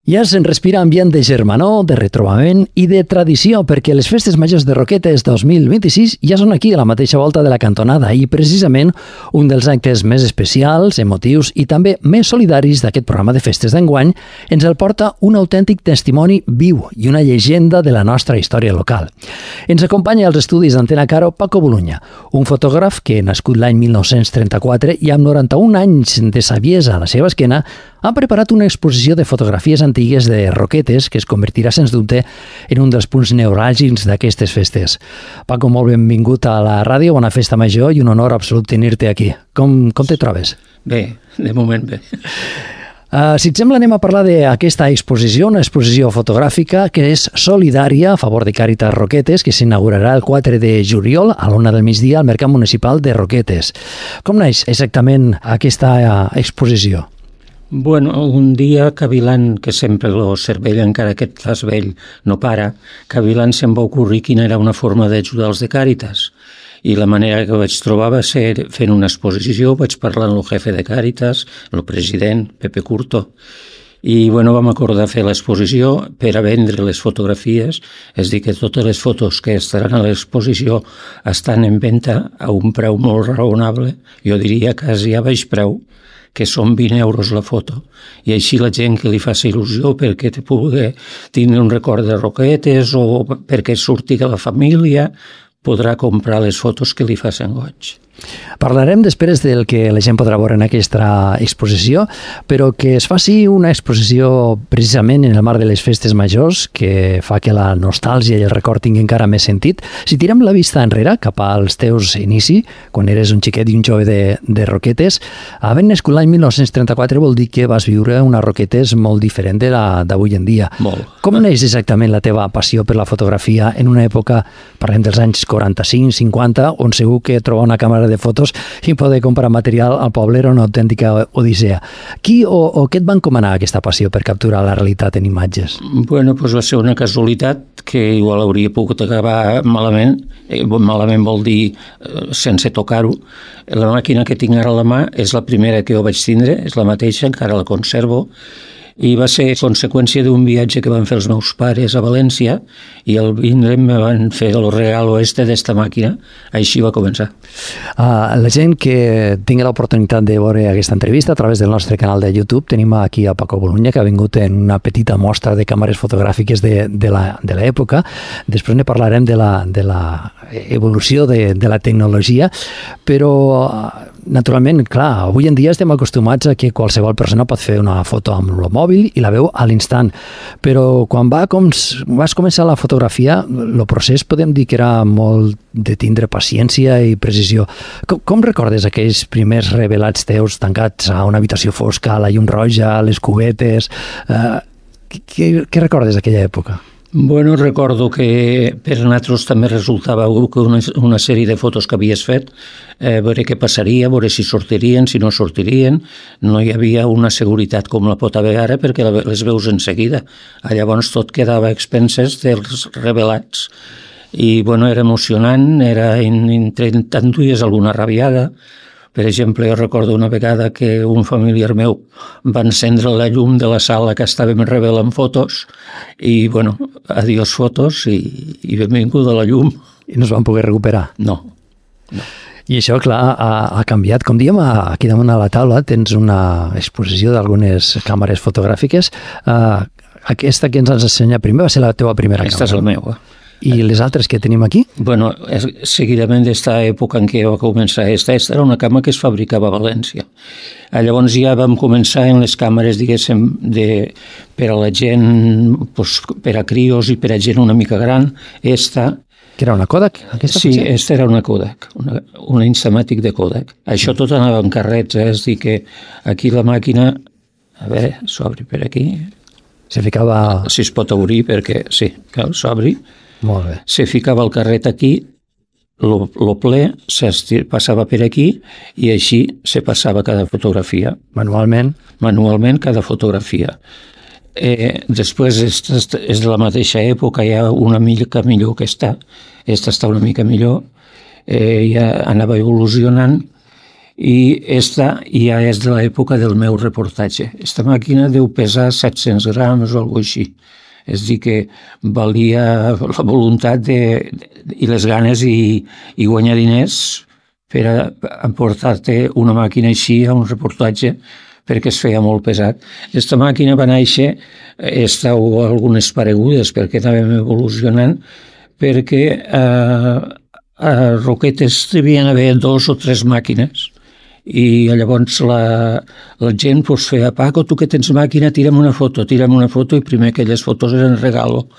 Ja se'n respira ambient de germanor, de retrobament i de tradició, perquè les festes majors de Roquetes 2026 ja són aquí a la mateixa volta de la cantonada i precisament un dels actes més especials, emotius i també més solidaris d'aquest programa de festes d'enguany ens el porta un autèntic testimoni viu i una llegenda de la nostra història local. Ens acompanya als estudis d'Antena Caro Paco Bolunya, un fotògraf que, nascut l'any 1934 i amb 91 anys de saviesa a la seva esquena, ha preparat una exposició de fotografies antigues de Roquetes que es convertirà, sens dubte, en un dels punts neuràlgics d'aquestes festes. Paco, molt benvingut a la ràdio, bona festa major i un honor absolut tenir-te aquí. Com te trobes? Bé, de moment bé. Si et sembla, anem a parlar d'aquesta exposició, una exposició fotogràfica que és solidària a favor de Càritas Roquetes, que s'inaugurarà el 4 de juliol a l'1 del migdia al Mercat Municipal de Roquetes. Com naix exactament aquesta exposició? Bueno, un dia cavilant, que sempre el cervell, encara que et fas vell, no para, cavilant se'm va ocorrir quina era una forma d'ajudar els de Càritas. I la manera que vaig trobar va ser fent una exposició, vaig parlar amb el jefe de Càritas, el president, Pepe Curto, i bueno, vam acordar fer l'exposició per a vendre les fotografies, és a dir, que totes les fotos que estaran a l'exposició estan en venda a un preu molt raonable, jo diria quasi a baix preu, que són 20 euros la foto. I així la gent que li faci il·lusió perquè te pugui tenir un record de Roquetes o perquè surti de la família, podrà comprar les fotos que li facin goig. Parlarem després del que la gent podrà veure en aquesta exposició, però que es faci una exposició precisament en el marc de les festes majors, que fa que la nostàlgia i el record tinguin encara més sentit. Si tirem la vista enrere, cap als teus inici, quan eres un xiquet i un jove de Roquetes, havent nascut l'any 1934 vol dir que vas viure una Roquetes molt diferent de la d'avui en dia. Molt. Com neix exactament la teva passió per la fotografia en una època, parlem dels anys 45-50, on segur que trobar una càmera de fotos i poder comprar material al poble era una autèntica odissea. Qui o què et va encomanar aquesta passió per capturar la realitat en imatges? Bueno, doncs va ser una casualitat que igual hauria pogut acabar malament. Malament vol dir sense tocar-ho. La màquina que tinc ara a la mà és la primera que jo vaig tindre, és la mateixa, encara la conservo, i va ser conseqüència d'un viatge que van fer els meus pares a València i al vindre me van fer el regal d'esta màquina. Així va començar. La gent que tingui l'oportunitat de veure aquesta entrevista a través del nostre canal de YouTube, tenim aquí a Paco Bolunya, que ha vingut en una petita mostra de càmeres fotogràfiques de l'època. Després ne parlarem de la evolució de la tecnologia, però naturalment, clar, avui en dia estem acostumats a que qualsevol persona pot fer una foto amb el mòbil i la veu a l'instant, però quan vas començar la fotografia, el procés podem dir que era molt de tindre paciència i precisió. Com recordes aquells primers revelats teus tancats a una habitació fosca, la llum roja, les cubetes? Què recordes d'aquella època? Bueno, recordo que per nosaltres també resultava una sèrie de fotos que havies fet, veure què passaria, veure si sortirien, si no sortirien. No hi havia una seguretat com la pot haver ara perquè les veus en seguida. Llavors tot quedava a expenses dels revelats. I bueno, era emocionant, t'enduies alguna rabiada. Per exemple, jo recordo una vegada que un familiar meu va encendre la llum de la sala que estàvem revelant fotos i, bueno, adiós fotos i benvinguda la llum. I no es van poder recuperar? No. I això, clar, ha canviat. Com diem, aquí damunt a la taula tens una exposició d'algunes càmeres fotogràfiques. Aquesta que ens has ensenyat primer va ser la teva primera càmera. Aquesta és la meva. I les altres que tenim aquí? Bueno, seguidament d'esta època en què va començar esta era una càmera que es fabricava a València. Llavors ja vam començar en les càmeres, diguéssim, per a la gent, per a crios i per a gent una mica gran. Esta... Que era una Kodak? Sí, esta era una Kodak, una Instamatic de Kodak. Això tot anava en carrets, és a dir que aquí la màquina, a veure, s'obri per aquí. Se ficava... Si es pot obrir perquè, sí, cal, s'obri. Molt bé. Se ficava el carret aquí, el ple passava per aquí i així se passava cada fotografia. Manualment? Manualment cada fotografia. Després és de la mateixa època, hi ha una mica millor que esta està una mica millor, ja anava evolucionant i esta ja és de l'època del meu reportatge. Esta màquina deu pesar 700 grams o alguna cosa així. És a dir, que valia la voluntat i les ganes i guanyar diners per a emportar-te una màquina així a un reportatge, perquè es feia molt pesat. Aquesta màquina va néixer, estàu algunes paregudes perquè anàvem evolucionant, perquè a Roquetes devien haver 2 o 3 màquines i llavors la gent feia: Paco, tu que tens màquina, tira'm una foto, i primer aquelles fotos eren regalo,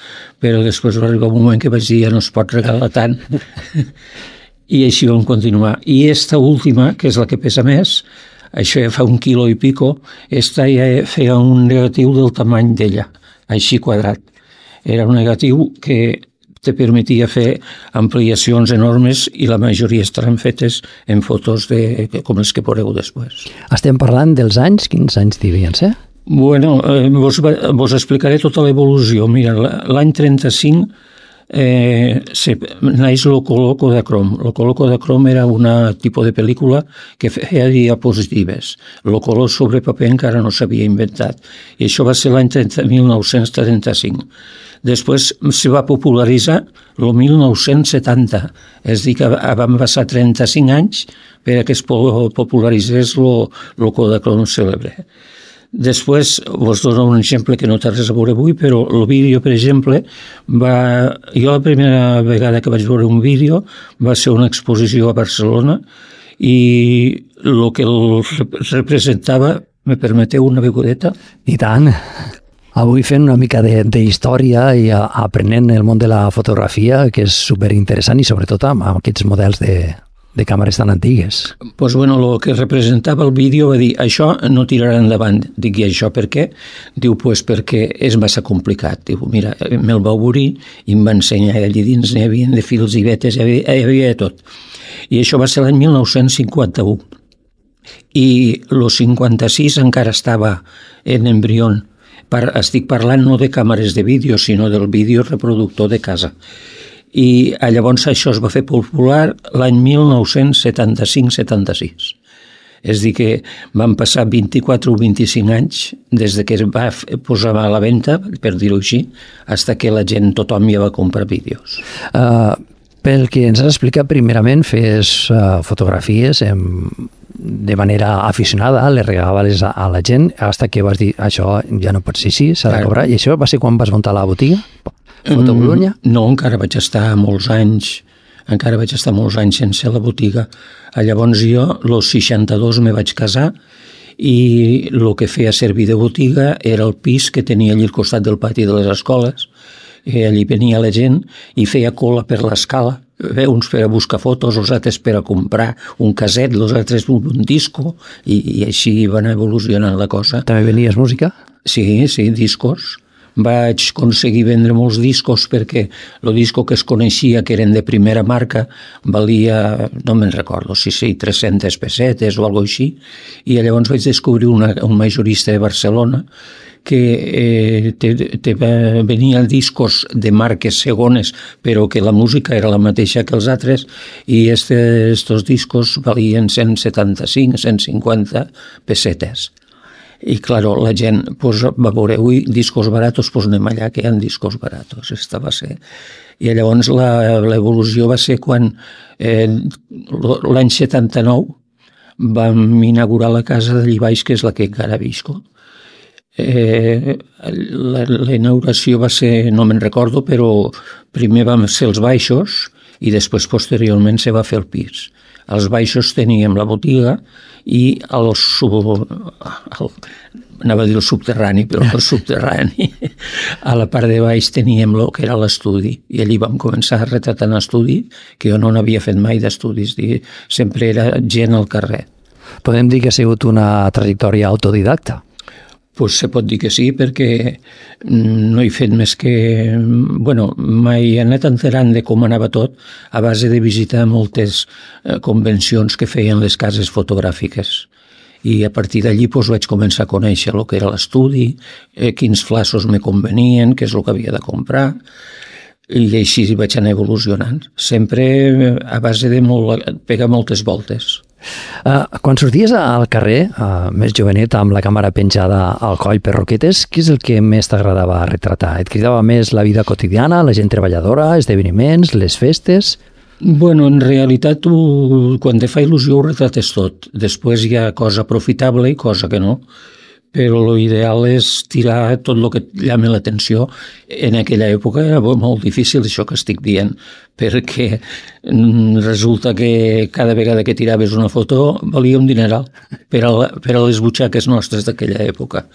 però després va arribar un moment que vaig dir: ja no es pot regalar tant. I així vam continuar. I esta última, que és la que pesa més, això ja fa 1 quilo i pico, esta ja feia un negatiu del tamany d'ella, així quadrat. Era un negatiu que te permetia fer ampliacions enormes i la majoria estaran fetes en fotos com les que veureu després. Estem parlant dels anys? Quins anys devien ser? Bueno, vos explicaré tota l'evolució. Mira, l'any 35 naix Loco de Crom. Loco de Crom era un tipus de pel·lícula que feia diapositives. Loco sobre paper encara no s'havia inventat. I això va ser l'any 1935. Després se va popularitzar el 1970, és a dir, que van passar 35 anys perquè es popularitzés el Kodachrome cèlebre. Després, vos dono un exemple que no té res a veure avui, però el vídeo, per exemple, jo la primera vegada que vaig veure un vídeo va ser una exposició a Barcelona i el que el representava, me permeteu una begodeta? I tant! Avui fent una mica d'història i aprenent el món de la fotografia, que és superinteressant i sobretot amb aquests models de càmeres tan antigues. Doncs bueno, el que representava el vídeo va dir: això no tirarà endavant. Dic: i això per què? Diu: pues perquè és massa complicat. Diu: mira, me'l va obrir i em va ensenyar. Allà dins n'hi havia de fils i vetes, hi havia de tot. I això va ser l'any 1951. I el 56 encara estava en embrió. Estic parlant no de càmeres de vídeo, sinó del vídeo reproductor de casa. I llavors això es va fer popular l'any 1975-76. És a dir, que van passar 24 o 25 anys des que es va posar a la venda, per dir-ho així, fins que la gent, tothom ja va comprar vídeos. Pel que ens has explicat, primerament fes fotografies de manera aficionada, les regalaves a la gent, fins que vas dir: això ja no pot ser així, s'ha de cobrar. I això va ser quan vas muntar la botiga? Foto Bolonya? No, encara vaig estar molts anys sense la botiga. Llavors jo, als 62, me vaig casar i el que feia servir de botiga era el pis que tenia allà al costat del pati de les escoles. Allí venia la gent i feia cola per l'escala, uns per a buscar fotos, els altres per a comprar un caset, els altres un disco, i així van evolucionant la cosa. També venies música? Sí, discos. Vaig aconseguir vendre molts discos perquè el disco que es coneixia, que eren de primera marca, valia, no me'n recordo, si 300 pessetes o alguna cosa així, i llavors vaig descobrir un majorista de Barcelona que venia discos de marques segones, però que la música era la mateixa que els altres, i estos discos valien 175, 150 pessetes. I, claro, la gent va veure: ui, discos baratos, doncs anem allà, que hi ha discos baratos. Esta va ser. I llavors l'evolució va ser quan l'any 79 vam inaugurar la casa d'allí baix, que és la que encara visco. La inauguració va ser, no me'n recordo, però primer vam ser els baixos i després posteriorment se va fer el pis. Als baixos teníem la botiga i anava a dir el subterrani, però el subterrani, a la part de baix teníem el que era l'estudi, i allí vam començar a retratar en estudi, que jo no n'havia fet mai d'estudis, sempre era gent al carrer. Podem dir que ha sigut una trajectòria autodidacta? Pues se pot dir que sí, perquè no he fet més que... Bueno, mai he anat enterant de com anava tot a base de visitar moltes convencions que feien les cases fotogràfiques. I a partir d'allí vaig començar a conèixer el que era l'estudi, quins flaços me convenien, què és el que havia de comprar. I així vaig anar evolucionant, sempre a base de pegar moltes voltes. Quan sorties al carrer, més jovenet, amb la càmera penjada al coll per roquetes, què és el que més t'agradava retratar? Et cridava més la vida quotidiana, la gent treballadora, esdeveniments, les festes? Bueno, en realitat, quan te fa il·lusió ho retrates tot. Després hi ha cosa aprofitable i cosa que no. Però l'ideal és tirar tot el que llama l'atenció. En aquella època era molt difícil això que estic dient, perquè resulta que cada vegada que tiraves una foto valia un dineral per a les butxaques nostres d'aquella època.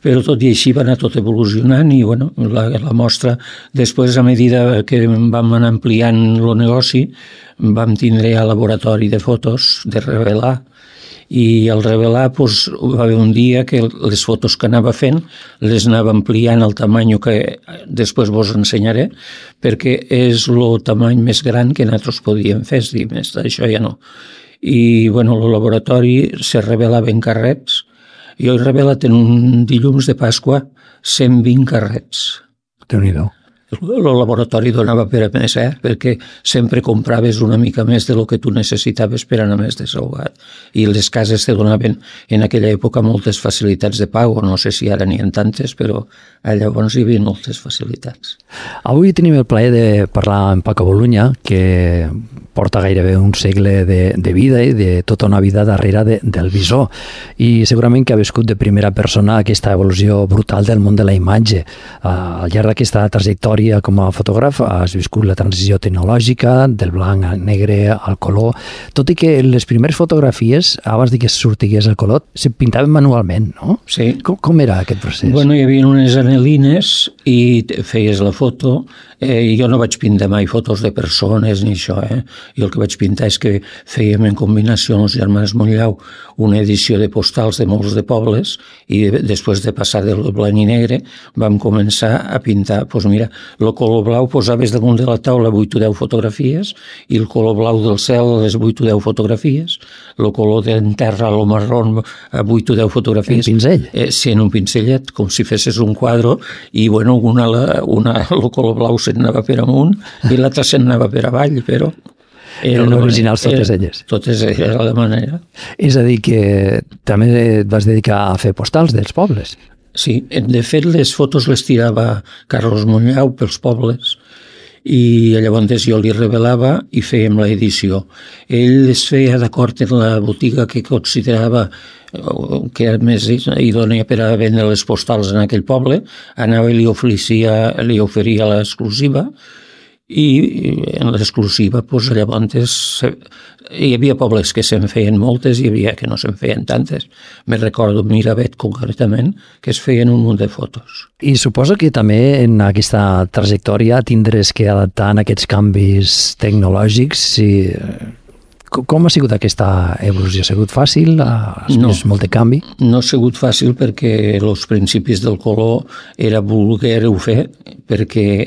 Però tot i així va anar tot evolucionant i bueno, la mostra, després a medida que vam anar ampliant el negoci, vam tindre el laboratori de fotos, de revelar, i al revelar va haver un dia que les fotos que anava fent les anava ampliant al tamany que després vos ensenyaré, perquè és el tamany més gran que nosaltres podíem fer, és dir, més d'això ja no. I bueno, el laboratori se revelava en carrets. Jo he revelat en un dilluns de Pasqua 120 carrets. Déu-n'hi-do. El laboratori donava per a més, perquè sempre compraves una mica més de lo que tu necessitaves per anar més desahogat. I les cases te donaven en aquella època moltes facilitats de pago, no sé si ara n'hi ha tantes, però llavors hi havia moltes facilitats. Avui tenim el plaer de parlar amb Paco Boluña, que porta gairebé un segle de vida i de tota una vida darrere del visor. I segurament que ha viscut de primera persona aquesta evolució brutal del món de la imatge. Al llarg d'aquesta trajectòria com a fotògraf has viscut la transició tecnològica del blanc al negre al color, tot i que les primeres fotografies, abans que sortigués el color, se pintaven manualment, no? Sí. Com era aquest procés? Bueno, hi havia unes anelines i feies la foto. Jo no vaig pintar mai fotos de persones ni això. Jo el que vaig pintar és que fèiem en combinació amb els germans Montllau una edició de postals de molts de pobles i després de passar del blanc i negre vam començar a pintar. Doncs mira, el color blau posaves damunt de la taula 8 o 10 fotografies i el color blau del cel les 8 o 10 fotografies, el color d'en terra, el marró a 8 o 10 fotografies. En pinzell? Sí, en un pinzellet, com si fessis un quadre i bueno, el color blau se'n anava per amunt i l'altre se'n anava per avall, però eren originals totes elles. Totes era la manera. És a dir, que també et vas dedicar a fer postals dels pobles. Sí, de fet les fotos les tirava Carlos Montllau pels pobles i llavors jo li revelava i fèiem l'edició. Ell les feia d'acord en la botiga que considerava que més idònia per a vendre les postals en aquell poble, anava i li oferia l'exclusiva i en l'exclusiva llavors hi havia pobles que se'n feien moltes i hi havia que no se'n feien tantes. Me recordo Miravet concretament que es feien un munt de fotos. I suposo que també en aquesta trajectòria tindràs que adaptar en aquests canvis tecnològics. Com ha sigut aquesta evolució? Ha sigut fàcil? Has vist molt de canvi? No ha sigut fàcil perquè els principis del color era voler-ho fer perquè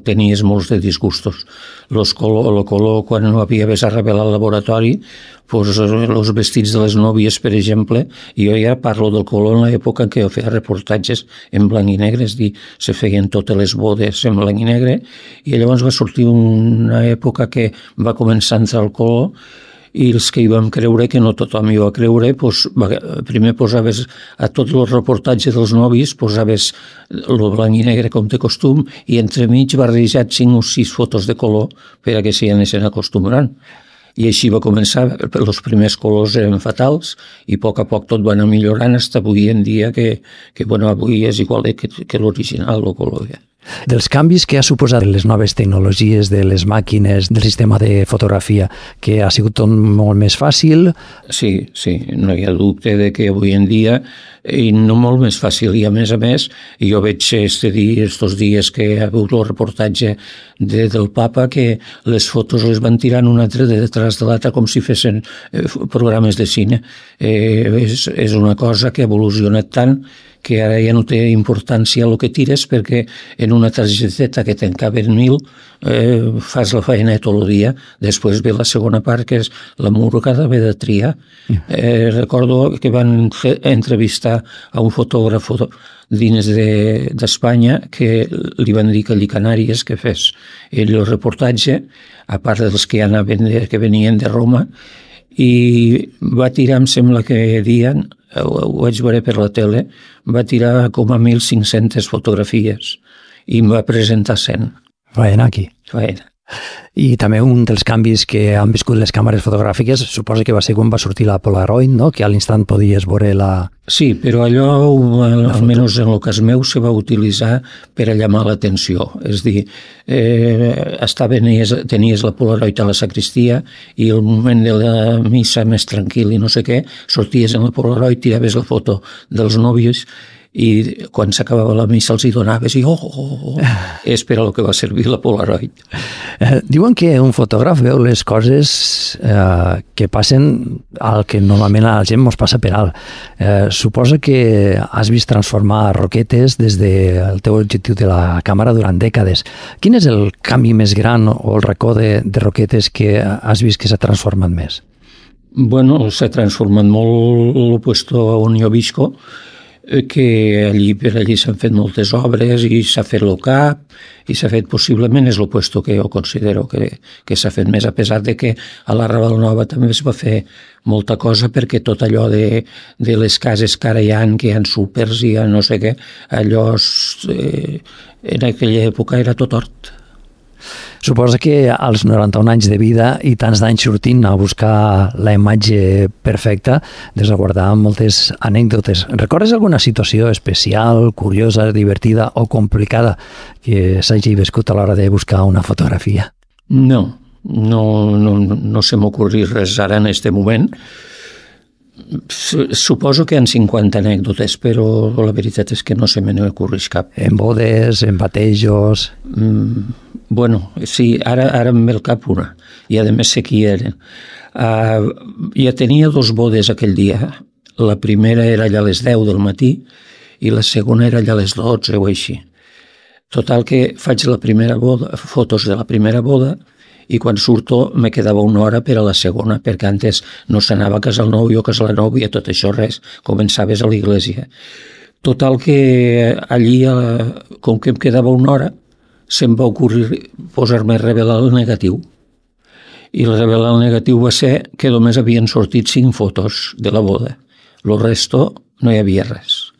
tenies molts de disgustos. El color, quan no havies a revelar al laboratori, els vestits de les nòvies, per exemple, jo ja parlo del color en l'època en què jo feia reportatges en blanc i negre, és dir, se feien totes les bodes en blanc i negre, i llavors va sortir una època que va començar a entrar el color, i els que hi vam creure, que no tothom hi va creure, primer posaves a tots els reportatges dels novis, posaves el blanc i negre com de costum i entremig barrejat 5 o 6 fotos de color per a que s'hi anessin acostumant. I així va començar, els primers colors eren fatals i a poc tot va anar millorant fins avui en dia que avui és igual que l'original, el color. Dels canvis que ha suposat les noves tecnologies de les màquines, del sistema de fotografia, que ha sigut tot molt més fàcil? Sí, no hi ha dubte de que avui en dia, i no molt més fàcil, i a més, jo veig estos dies que ha hagut el reportatge del Papa que les fotos les van tirant una altra detrás de l'altra com si fessin programes de cine. És una cosa que ha evolucionat tant que ara ja no té importància el que tires perquè en una targeteta que te'n caben 1.000 fas la feina tot el dia. Després ve la segona part que és l'amor que ha d'haver de triar. Recordo que van entrevistar a un fotògraf dins d'Espanya que li van dir que allí Canàries que fes ell el reportatge, a part dels que que venien de Roma, i va tirar, em sembla que deien, ho vaig veure per la tele, va tirar com a 1.500 fotografies i em va presentar 100. Vaja, aquí. Vaja. I també un dels canvis que han viscut les càmeres fotogràfiques suposa que va ser quan va sortir la Polaroid, no? Que a l'instant podies veure la... Sí, però allò, almenys en el cas meu, se va utilitzar per a llamar l'atenció. És a dir, tenies la Polaroid a la sacristia i el moment de la missa més tranquil i no sé què, sorties en la Polaroid, tiraves la foto dels nòvios i quan s'acabava la missa els hi donaves i és per a lo que va servir la Polaroid. Diuen que un fotògraf veu les coses que passen al que normalment a la gent ens passa per alt. Suposa que has vist transformar roquetes des del teu objectiu de la càmera durant dècades. Quin és el canvi més gran o el racó de roquetes que has vist que s'ha transformat més? Bueno, s'ha transformat molt el puesto on jo visco, que per allí s'han fet moltes obres i s'ha fet el CAP i s'ha fet possiblement, és el puesto que jo considero que s'ha fet més, a pesar de que a la Raval Nova també es va fer molta cosa perquè tot allò de les cases que ara hi ha, que hi ha súpers i no sé què, allò en aquella època era tot hort. Suposa que als 91 anys de vida i tants d'anys sortint a buscar la imatge perfecta, des de guardar moltes anècdotes. Recordes alguna situació especial, curiosa, divertida o complicada que s'hagi viscut a l'hora de buscar una fotografia? No se m'ocorri res ara en aquest moment. Suposo que hi ha 50 anècdotes, però la veritat és que no se me n'ocorreix cap. En bodes, en batejos... Bueno, sí, ara em ve al cap una, i a més sé qui eren. Ja tenia 2 bodes aquell dia. La primera era allà a les 10 del matí i la segona era allà a les 12 o així. Total que faig la primera boda, fotos de la primera boda, i quan surto me quedava una hora per a la segona, perquè antes no s'anava a casar el nòvio, a casar la nòvia, tot això res, començaves a l'església. Total que allí, com que em quedava una hora, se'm va ocorrir posar-me a revelar el negatiu. I el revelar el negatiu va ser que només havien sortit 5 fotos de la boda. El resto no hi havia res.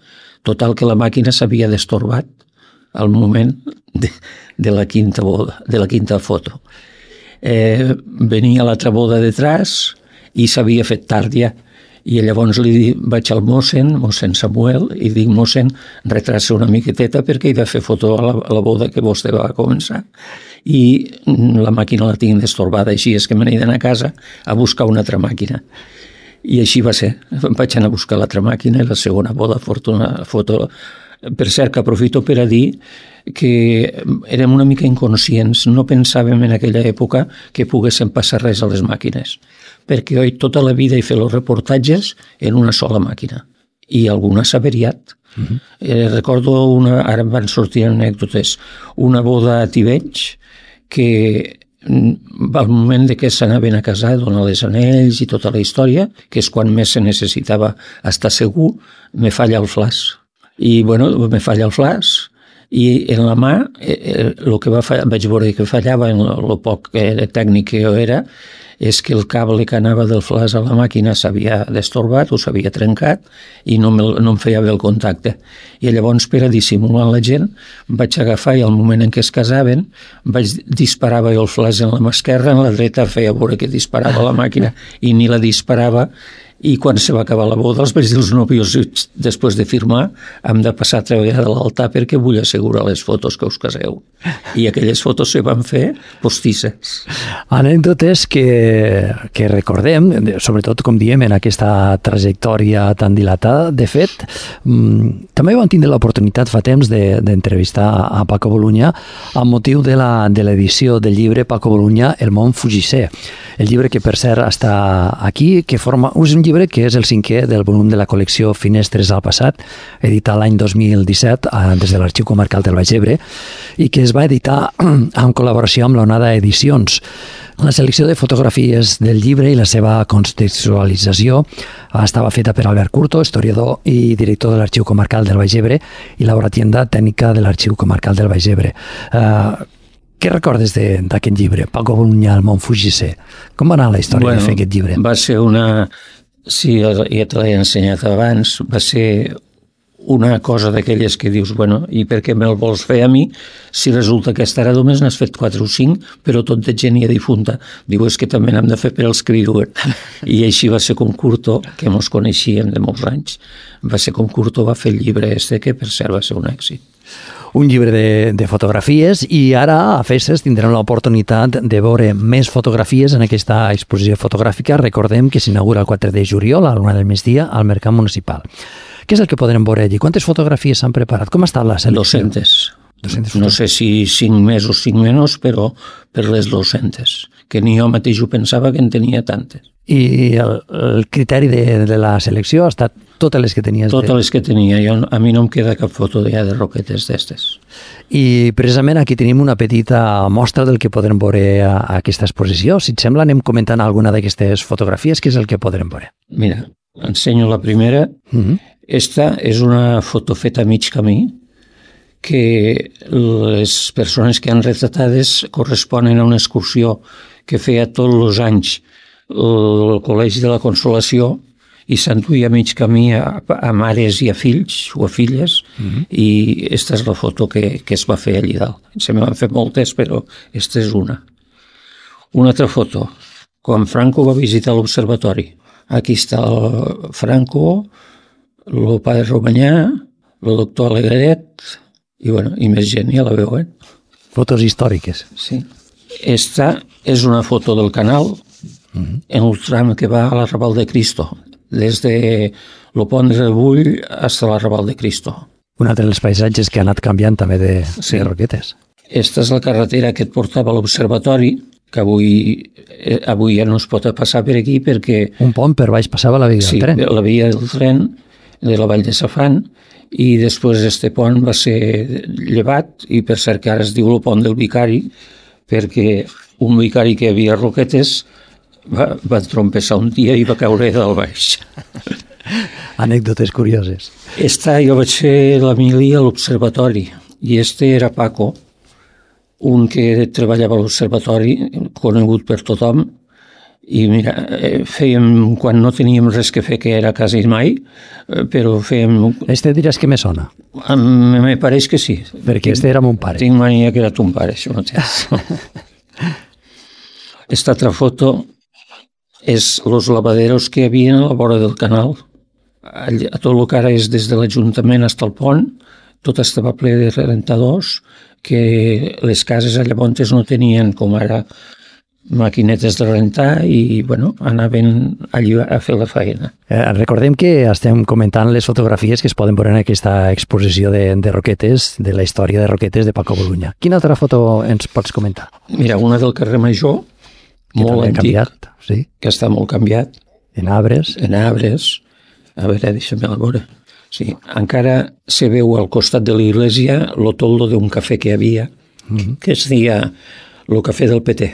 Total que la màquina s'havia destorbat al moment de la quinta boda, de la quinta foto. Venia l'altra boda detrás i s'havia fet tard ja. I llavors li vaig al mossèn Samuel, i dic, mossèn, retrasa una miqueteta perquè he de fer foto a la boda que vostè va començar. I la màquina la tinc destorbada, així és que me n'he d'anar a casa a buscar una altra màquina. I així va ser. Vaig anar a buscar l'altra màquina i la segona boda, foto. Per cert, que aprofito per a dir que érem una mica inconscients, no pensàvem en aquella època que poguessin passar res a les màquines, perquè jo tota la vida he fet els reportatges en una sola màquina i alguna s'ha averiat. Recordo ara em van sortir anècdotes, una boda a Tivenys que al moment de que s'anaven a casar, donar les anells i tota la història, que és quan més se necessitava estar segur, me falla el flaç. I bueno, me falla el flaç i en la mà el que vaig veure que fallava en el poc tècnic que jo era és que el cable que anava del flaç a la màquina s'havia destorbat o s'havia trencat i no em feia bé el contacte. I llavors, per a dissimular la gent, vaig agafar i al moment en què es casaven disparava jo el flaç en la mà esquerra, en la dreta feia veure que disparava la màquina i ni la disparava. I quan se va acabar la boda, els vaig dir als nòvios, després de firmar, hem de passar a treballar de l'altar perquè vull assegurar les fotos que us caseu. I aquelles fotos se van fer postisses. Anècdotes que recordem, sobretot, com diem, en aquesta trajectòria tan dilatada. De fet, també vam tindre l'oportunitat fa temps d'entrevistar a Paco Bolunya amb motiu de l'edició del llibre Paco Bolunya, El món fugisser. El llibre que, per cert, està aquí, que forma... És un llibre que és el 5è del volum de la col·lecció Finestres al passat, editat l'any 2017 des de l'Arxiu Comarcal del Baix Ebre, i que es va editar en col·laboració amb l'Onada Edicions. La selecció de fotografies del llibre i la seva contextualització estava feta per Albert Curto, historiador i director de l'Arxiu Comarcal del Baix Ebre i laboratienda tècnica de l'Arxiu Comarcal del Baix Ebre. Què recordes d'aquest llibre, Paco Bolunyà, el Montfugissé? Com va anar la història de fer aquest llibre? Va ser sí, ja te l'he ensenyat abans, va ser una cosa d'aquelles que dius, i per què me'l vols fer a mi si resulta que ara només n'has fet 4 o 5, però tot de gent ja difunta. Diu, és que també n'hem de fer per als criadors. I així va ser com Curto, que mos coneixíem de molts anys, va ser com Curto va fer el llibre que per cert va ser un èxit. Un llibre de fotografies i ara a Festes tindrem l'oportunitat de veure més fotografies en aquesta exposició fotogràfica. Recordem que s'inaugura el 4 de juliol a l'una del migdia al Mercat Municipal. Què és el que podrem veure allí? Quantes fotografies s'han preparat? Com està la selecció? 200. No sé si 5 més o 5 menys, però per les 200, que ni jo mateix ho pensava que en tenia tantes. I el criteri de la selecció ha estat totes les que tenies? Totes les que tenia. A mi no em queda cap foto ja de roquetes d'estes. I precisament aquí tenim una petita mostra del que podrem veure a aquesta exposició. Si et sembla, anem comentant alguna d'aquestes fotografies. Què és el que podrem veure? Mira, ensenyo la primera. Esta és una foto feta a mig camí que les persones que han retratades corresponen a una excursió que feia tots els anys el Col·legi de la Consolació i s'enduia a mig camí a mares i a fills o a filles i esta és la foto que es va fer allí dalt. Se me van fer moltes, però esta és una. Una altra foto, quan Franco va visitar l'observatori. Aquí està el Franco, el padre Romanyà, el doctor Alegret i més gent, ja la veuen. Fotos històriques. Sí. Esta és una foto del canal en el tram que va a l'Arrabal de Cristo, des de lo Pont de Rebull fins a l'Arrabal de Cristo. Un altre dels paisatges que ha anat canviant també de roquetes. Esta és la carretera que et portava a l'observatori, que avui ja no es pot passar per aquí perquè... Un pont per baix passava la via del tren. Sí, la via del tren de la Vall de Safant, i després este pont va ser llevat i per cert que ara es diu el pont del Vicari perquè un vicari que havia roquetes va trompeçar un dia i va caure del baix. Anècdotes curioses. Jo vaig fer l'Emili a l'observatori i era Paco, un que treballava a l'observatori, conegut per tothom, i mira, fèiem, quan no teníem res que fer, que era quasi mai, però fèiem... Diràs que me sona? Me pareix que sí. Perquè era mon pare. Tinc mania que era ton pare, això mateix. Esta altra foto és els lavaderos que hi havia a la vora del canal. A tot el que ara és des de l'Ajuntament fins al pont, tot estava ple de rentadors, que les cases llavors no tenien, com ara, maquinetes de rentar i anaven allí a fer la feina. Recordem que estem comentant les fotografies que es poden veure en aquesta exposició de roquetes, de la història de roquetes de Paco Bolunyà. Quina altra foto ens pots comentar? Mira, una del carrer Major, molt antic, canviat, sí. Que està molt canviat. En arbres. A veure, deixa'm-la veure. Sí, encara se veu al costat de l'església el toldo d'un cafè que hi havia, que es deia el cafè del PT.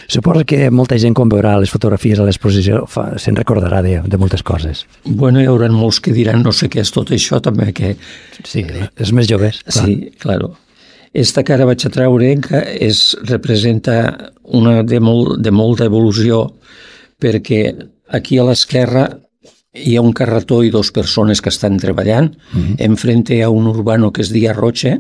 Suposo que molta gent quan veurà les fotografies a l'exposició se'n recordarà de moltes coses. Hi haurà molts que diran no sé què és tot això també que... Sí, els més joves. Sí, claro. Esta que ara vaig a treure que representa una de molta evolució perquè aquí a l'esquerra hi ha un carretó i 2 persones que estan treballant. Enfrente hi ha un urbano que es dia Roche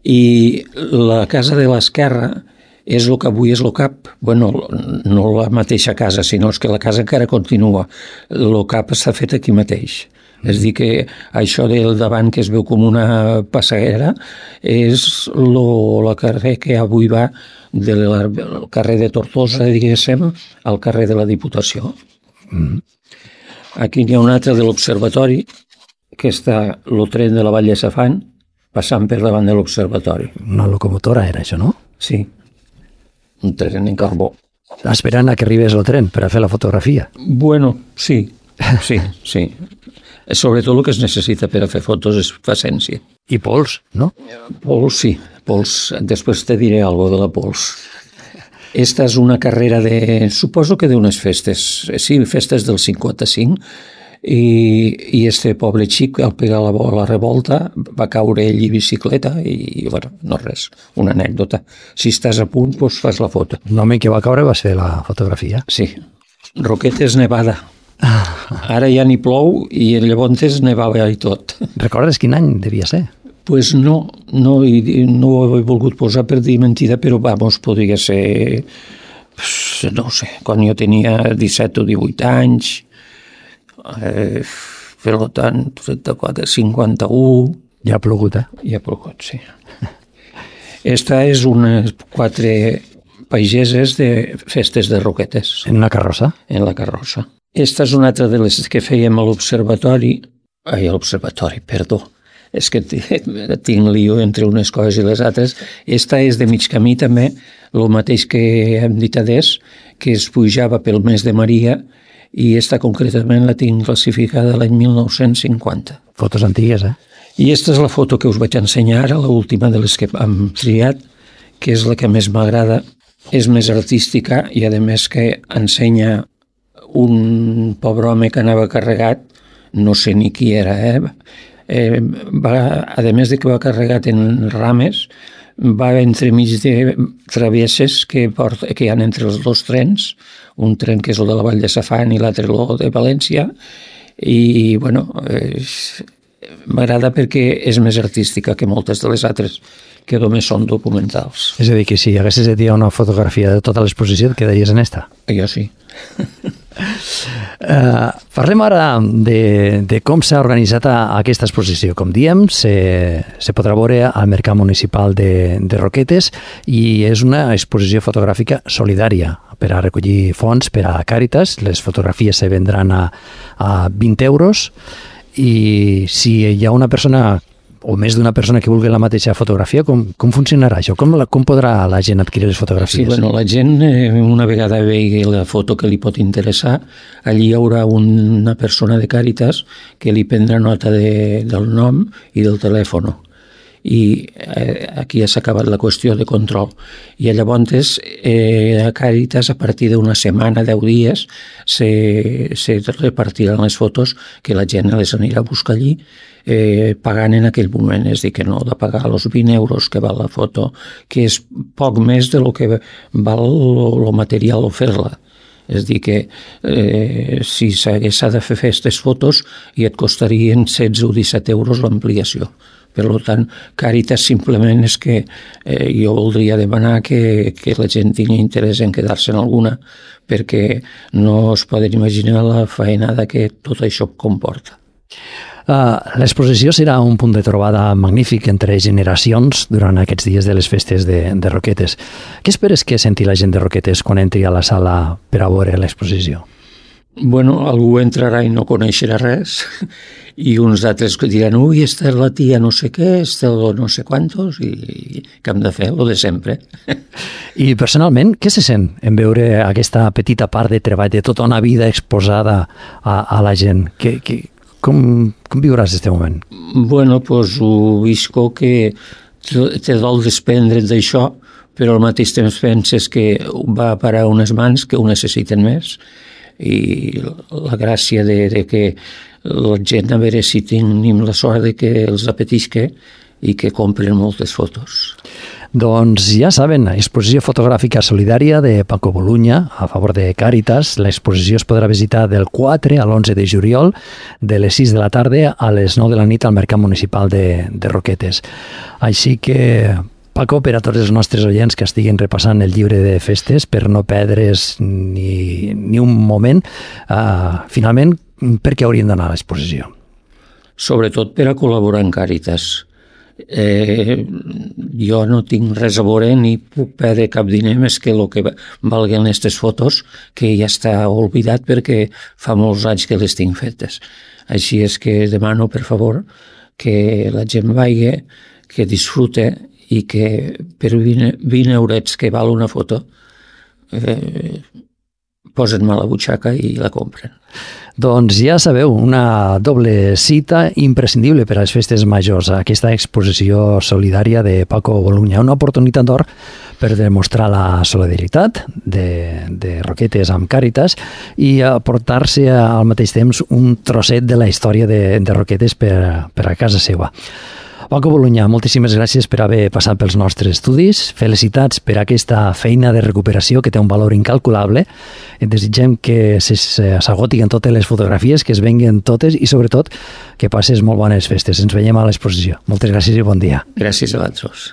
i la casa de l'esquerra és el que avui és el CAP. No la mateixa casa, sinó que la casa encara continua. El CAP està fet aquí mateix. És dir que això del davant que es veu com una passaguera és el carrer que avui va del carrer de Tortosa, diguéssim, al carrer de la Diputació. Aquí n'hi ha un altre de l'observatori que està el tren de la Vall de Safant passant per davant de l'observatori. Una locomotora era això, no? Sí, un tren en carbó. Esperant a que arribés el tren per a fer la fotografia. Sí. Sobretot el que es necessita per a fer fotos és paciència. I pols, no? Pols, sí. Pols, després te diré algo de la Pols. Esta és una carrera suposo que d'unes festes, sí, festes del 55, i este pobre xic, al pegar la revolta, va caure ell i bicicleta i, bueno, no res, una anècdota. Si estàs a punt, doncs fas la foto. L'home que va caure va ser la fotografia. Sí. Roquetes nevada. Ara ja ni plou i llavors nevava i tot. Recordes quin any devia ser? Pues no ho he volgut posar per dir mentida, però vamos, podria ser, no sé, quan jo tenia 17 o 18 anys, per tant, 34, 51... Ja ha plogut, Ja ha plogut, sí. Esta és unes 4 pageses de festes de Roquetes. En una carrossa? En la carrossa. Esta és una altra de les que fèiem a l'observatori, perdó, és que tinc lío entre unes coses i les altres. Esta és de mig camí també, el mateix que hem dit adés, que es pujava pel mes de Maria, i esta concretament la tinc classificada l'any 1950. Fotos antigues, I esta és la foto que us vaig ensenyar ara, l'última de les que hem triat, que és la que més m'agrada, és més artística i a més que ensenya un pobre home que anava carregat, no sé ni qui era, a més de que va carregat en rames, va entremig de travesses que hi ha entre els dos trens, un tren que és el de la Vall de Safant i l'altre el de València, i bueno, m'agrada perquè és més artística que moltes de les altres que només són documentals. És a dir, que si haguessis de dir una fotografia de tota l'exposició, et quedaries en esta? Jo sí. Parlem ara de com s'ha organitzat aquesta exposició. Com diem, se podrà veure al Mercat Municipal de Roquetes i és una exposició fotogràfica solidària per a recollir fons per a Càritas. Les fotografies se vendran a 20 euros i si hi ha una persona o més d'una persona que vulgui la mateixa fotografia, com funcionarà això? Com podrà la gent adquirir les fotografies? Sí, bueno, la gent, una vegada vegi la foto que li pot interessar, allí hi haurà una persona de Càritas que li prendrà nota del nom i del telèfon. I aquí ja s'ha acabat la qüestió de control. I llavors a Càritas, a partir d'una setmana, 10 dies, se repartiran les fotos que la gent les anirà a buscar allí pagant en aquell moment, és a dir, que no de pagar els 20 euros que val la foto, que és poc més de lo que val el material o fer-la. És a dir, que si s'ha de fer aquestes fotos i et costarien 16 o 17 euros l'ampliació. Per tant, Càritas simplement és que jo voldria demanar que la gent tingui interès en quedar-se en alguna, perquè no es poden imaginar la faenada que tot això comporta. L'exposició serà un punt de trobada magnífic entre generacions durant aquests dies de les festes de Roquetes. Què esperes que senti la gent de Roquetes quan entri a la sala per a veure l'exposició? Bueno, algú entrarà i no coneixerà res i uns altres que diran ui, esta és la tia no sé què, esta no sé quantos, i que hem de fer el de sempre. I personalment, què se sent en veure aquesta petita part de treball de tota una vida exposada a la gent? Com viuràs aquest moment? Bueno, doncs ho visco que te dol desprendre't d'això, però al mateix temps penses que va parar unes mans que ho necessiten més, i la gràcia de que la gent, a veure si tenim la sort de que els apetisca i que compren moltes fotos. Doncs ja saben, exposició fotogràfica solidària de Paco Boluña a favor de Càritas. L'exposició es podrà visitar del 4 a l'11 de juliol, de les 6 de la tarda a les 9 de la nit al Mercat Municipal de Roquetes. Així que, Paco, per a tots els nostres oients que estiguin repassant el llibre de festes, per no perdre's ni un moment, finalment, per què hauríem d'anar a l'exposició? Sobretot per a col·laborar amb Càritas. Jo no tinc res a veure ni puc perdre cap diner més que el que valguen aquestes fotos, que ja està oblidat perquè fa molts anys que les tinc fetes. Així és que demano, per favor, que la gent vagi, que disfrute i que per 20 eurets que val una foto posen mà a la butxaca i la compren. Doncs ja sabeu, una doble cita imprescindible per a les festes majors, aquesta exposició solidària de Paco Boluña, una oportunitat d'or per demostrar la solidaritat de Roquetes amb Càritas i aportar-se al mateix temps un trosset de la història de Roquetes per a casa seva. Paco Boluña, moltíssimes gràcies per haver passat pels nostres estudis. Felicitats per aquesta feina de recuperació que té un valor incalculable. Et desitgem que s'agotin totes les fotografies, que es venguen totes i, sobretot, que passes molt bones festes. Ens veiem a l'exposició. Moltes gràcies i bon dia. Gràcies a vosaltres.